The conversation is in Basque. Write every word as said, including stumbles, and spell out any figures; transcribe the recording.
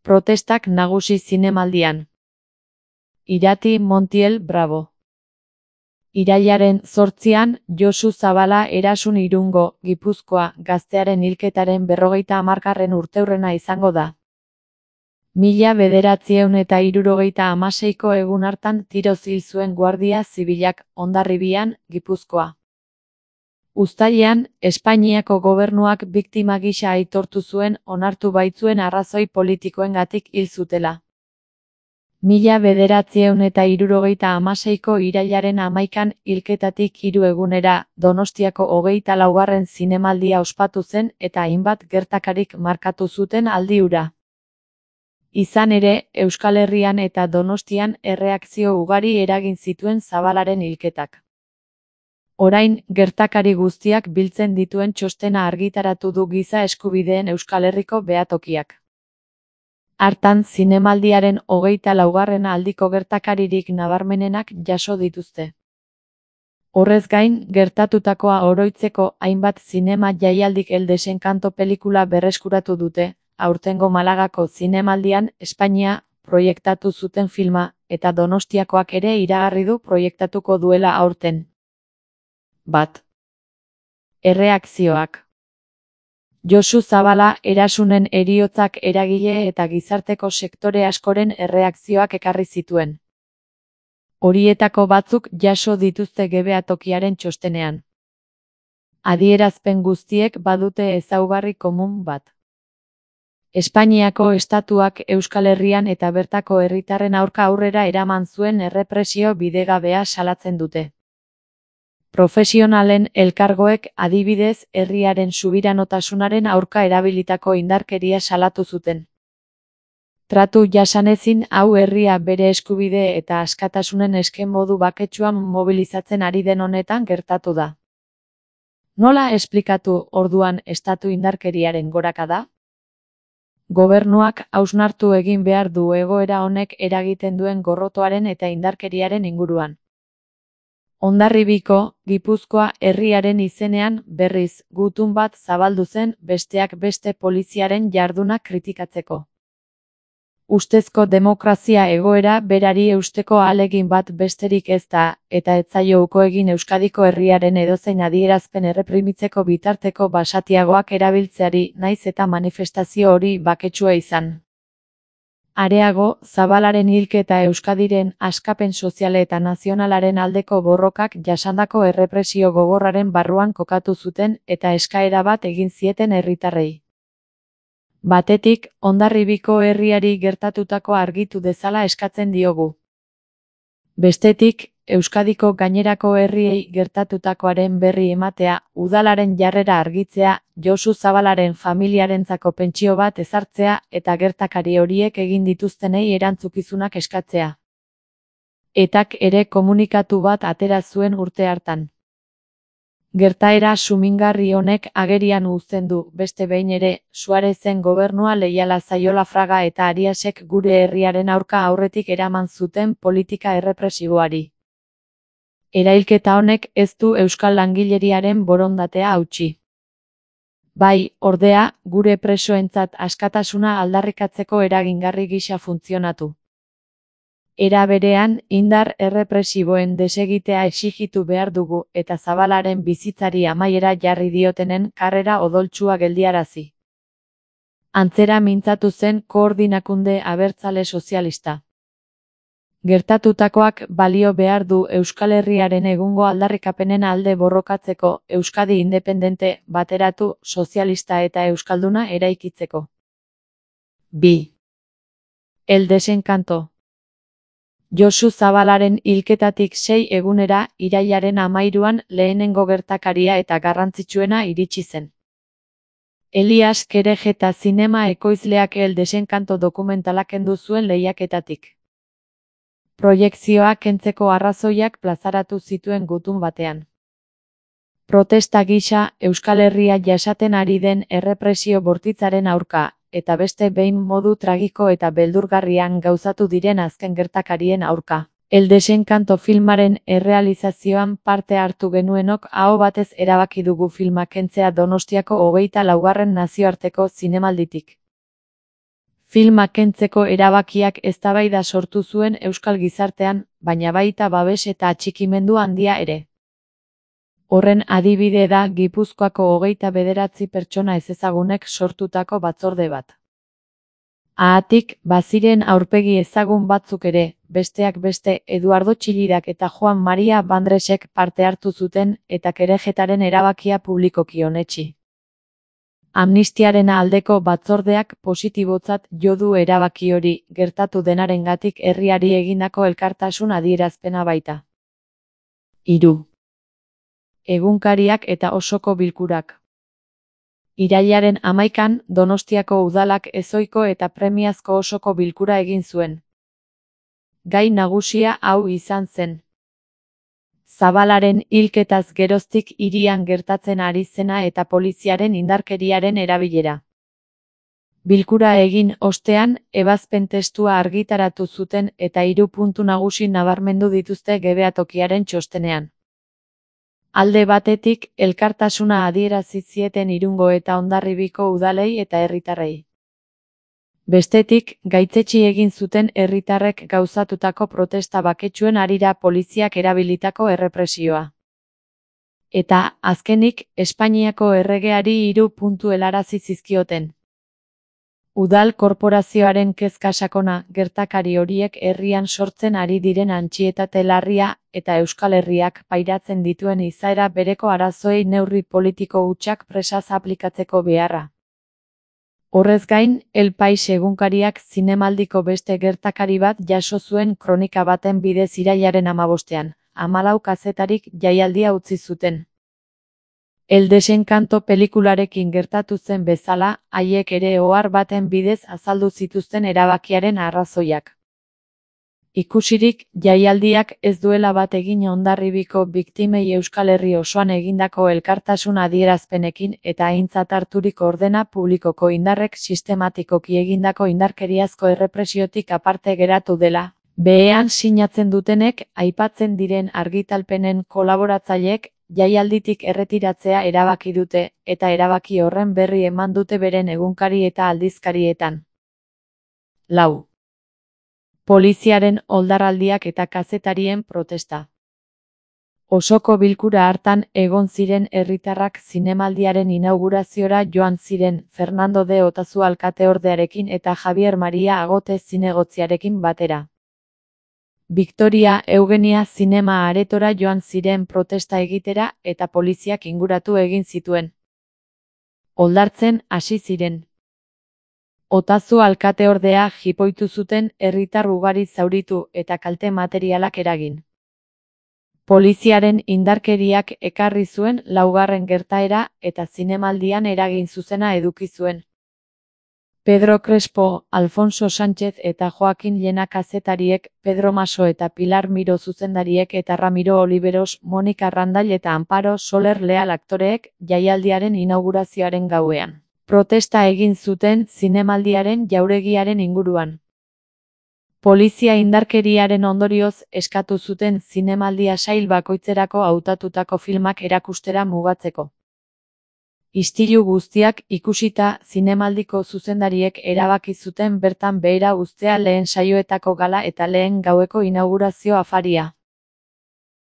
Protestak nagusi zinemaldian. Irati Montiel Bravo. Irailaren zortzian, Josu Zabala Erasun Irungo, Gipuzkoa, gaztearen hilketaren berrogeita hamargarren urteurrena izango da. Mila bederatziehun eta hirurogeita hamaseiko egun hartan tiroz hil zuen Guardia Zibilak, Hondarribian, Gipuzkoa. Uztailean, Espainiako gobernuak biktima gisa aitortu zuen onartu baitzuen arrazoi politikoengatik hil zutela. Mila bederatziehun eta hirurogeita hamaseiko irailaren hamaikan hilketatik hiru egunera, Donostiako hogeita laugarren zinemaldia ospatu zen eta hainbat gertakarik markatu zuten aldi hura. Izan ere, Euskal Herrian eta Donostian erreakzio ugari eragin zituen Zabalaren hilketak. Orain, gertakari guztiak biltzen dituen txostena argitaratu du Giza Eskubideen Euskal Herriko behatokiak. Hartan, zinemaldiaren hogeita laugarren aldiko gertakaririk nabarmenenak jaso dituzte. Horrez gain, gertatutakoa oroitzeko hainbat zinema jaialdik El Desencanto pelikula berreskuratu dute, aurtengo Malagako zinemaldian Espainia proiektatu zuten filma, eta Donostiakoak ere iragarri du proiektatuko duela aurten. Bat. Erreakzioak. Josu Zabala Erasunen heriotzak eragile eta gizarteko sektore askoren erreakzioak ekarri zituen. Horietako batzuk jaso dituzte behatokiaren txostenean. Adierazpen guztiek badute ezaugarri komun bat. Espainiako estatuak Euskal Herrian eta bertako herritarren aurka aurrera eraman zuen errepresio bidegabea salatzen dute. Profesionalen elkargoek adibidez herriaren subiranotasunaren aurka erabilitako indarkeria salatu zuten. Tratu jasanezin hau herria bere eskubide eta askatasunen eske modu baketsuan mobilizatzen ari den honetan gertatu da. Nola esplikatu orduan estatu indarkeriaren gorakada? Gobernuak hausnartu egin behar du egoera honek eragiten duen gorrotoaren eta indarkeriaren inguruan. Hondarribiko, Gipuzkoa herriaren izenean, berriz, gutun bat zabaldu zen besteak beste poliziaren jarduna kritikatzeko. Ustezko demokrazia egoera berari eusteko ahalegin bat besterik ez da, eta ez zaio uko egin Euskadiko herriaren edozein adierazpen erreprimitzeko bitarteko basatiagoak erabiltzeari naiz eta manifestazio hori baketsua izan. Areago, Zabalaren hilketa Euskadiren askapen soziale eta nazionalaren aldeko borrokak jasandako errepresio gogorraren barruan kokatu zuten eta eskaera bat egin zieten herritarrei. Batetik, Hondarribiko herriari gertatutako argitu dezala eskatzen diogu. Bestetik, Euskadiko gainerako herriei gertatutakoaren berri ematea, udalaren jarrera argitzea, Josu Zabalaren familiarentzako pentsio bat ezartzea eta gertakari horiek egin dituztenei erantzukizunak eskatzea. Etak ere komunikatu bat atera zuen urte hartan. Gertaera sumingarri honek agerian uzten du, beste behin ere, Suarezen gobernua leiala zaiola Fraga eta Ariasek gure herriaren aurka aurretik eraman zuten politika errepresiboari. Erailketa honek ez du euskal langileriaren borondatea hautsi. Bai, ordea, gure presoentzat askatasuna aldarrikatzeko eragingarri gisa funtzionatu. Era berean, indar errepresiboen desegitea exigitu behar dugu eta Zabalaren bizitzari amaiera jarri diotenen karrera odoltsua geldiarazi. Antzera mintzatu zen Koordinakunde Abertzale Sozialista. Gertatutakoak balio behar du Euskal Herriaren egungo aldarrikapenen alde borrokatzeko, Euskadi independente, bateratu, sozialista eta euskalduna eraikitzeko. Bi. El Desencanto. Josu Zabalaren hilketatik sei egunera, irailaren hamairuan lehenengo gertakaria eta garrantzitsuena iritsi zen. Elias Kerejeta zinema ekoizleak El Desencanto dokumentalak kendu zuen lehiaketatik. Proiekzioa kentzeko arrazoiak plazaratu zituen gutun batean. Protesta gisa, Euskal Herria jasaten ari den errepresio bortitzaren aurka, eta beste behin modu tragiko eta beldurgarrian gauzatu diren azken gertakarien aurka. El Desencanto filmaren errealizazioan parte hartu genuenok aho batez erabaki dugu filma kentzea Donostiako hogeita laugarren nazioarteko zinemalditik. Filma kentzeko erabakiak eztabaida sortu zuen euskal gizartean, baina baita babes eta atxikimendu handia ere. Horren adibide da Gipuzkoako hogeita bederatzi pertsona ezezagunek sortutako batzorde bat. Haatik, baziren aurpegi ezagun batzuk ere, besteak beste Eduardo Txilidak eta Juan Maria Bandresek parte hartu zuten eta Kerejetaren erabakia publikoki onetsi. Amnistiaren aldeko batzordeak positibotzat jo du erabaki hori, gertatu denarengatik herriari egindako elkartasun adierazpena baita. Hiru. Egunkariak eta osoko bilkurak. Irailaren hamaikan, Donostiako udalak ezohiko eta premiazko osoko bilkura egin zuen. Gai nagusia hau izan zen. Zabalaren hilketaz geroztik hirian gertatzen ari zena eta poliziaren indarkeriaren erabilera. Bilkura egin ostean, ebazpen testua argitaratu zuten eta hiru puntu nagusi nabarmendu dituzte Gebeatokiaren txostenean. Alde batetik, elkartasuna adierazi zieten Irungo eta Hondarribiko udalei eta herritarrei. Bestetik, gaitzetsi egin zuten herritarrek gauzatutako protesta baketsuen harira poliziak erabilitako errepresioa. Eta, azkenik, Espainiako erregeari hiru puntu helarazi zizkioten. Udal korporazioaren kezka sakona, gertakari horiek herrian sortzen ari diren antsietate larria eta Euskal Herriak pairatzen dituen izaera bereko arazoei neurri politiko hutsak presaz aplikatzeko beharra. Horrez gain, El Pais egunkariak zinemaldiko beste gertakari bat jaso zuen kronika baten bidez irailaren hamabostean, hamalau kazetarik jaialdia utzi zuten. El Desencanto pelikularekin gertatu zen bezala, haiek ere ohar baten bidez azaldu zituzten erabakiaren arrazoiak. Ikusirik, jaialdiak ez duela bat egin Hondarribiko biktimei Euskal Herri osoan egindako elkartasun adierazpenekin eta aintzat harturik ordena publikoko indarrek sistematikoki egindako indarkeriazko errepresiotik aparte geratu dela. Behean sinatzen dutenek, aipatzen diren argitalpenen kolaboratzaileek, jaialditik erretiratzea erabaki dute, eta erabaki horren berri eman dute beren egunkari eta aldizkarietan. Lau. Poliziaren oldarraldiak eta kazetarien protesta. Osoko bilkura hartan egon ziren herritarrak zinemaldiaren inauguraziora joan ziren Fernando de Otazu alkateordearekin eta Javier Maria Agote zinegotziarekin batera. Victoria Eugenia zinema aretora joan ziren protesta egitera eta poliziak inguratu egin zituen. Oldartzen hasi ziren. Otazu alkateordea jipoitu zuten herritar ugari zauritu eta kalte materialak eragin. Poliziaren indarkeriak ekarri zuen laugarren gertaera eta zinemaldian eragin zuzena eduki zuen. Pedro Crespo, Alfonso Sánchez eta Joaquin Llena kazetariek, Pedro Maso eta Pilar Miro zuzendariek eta Ramiro Oliveros, Monika Randall eta Amparo Soler Leal aktoreek jaialdiaren inaugurazioaren gauean. Protesta egin zuten zinemaldiaren jauregiaren inguruan. Polizia indarkeriaren ondorioz eskatu zuten zinemaldia sail bakoitzerako hautatutako filmak erakustera mugatzeko. Istilu guztiak ikusita, zinemaldiko zuzendariek erabaki zuten bertan behera uztea lehen saioetako gala eta lehen gaueko inaugurazio afaria.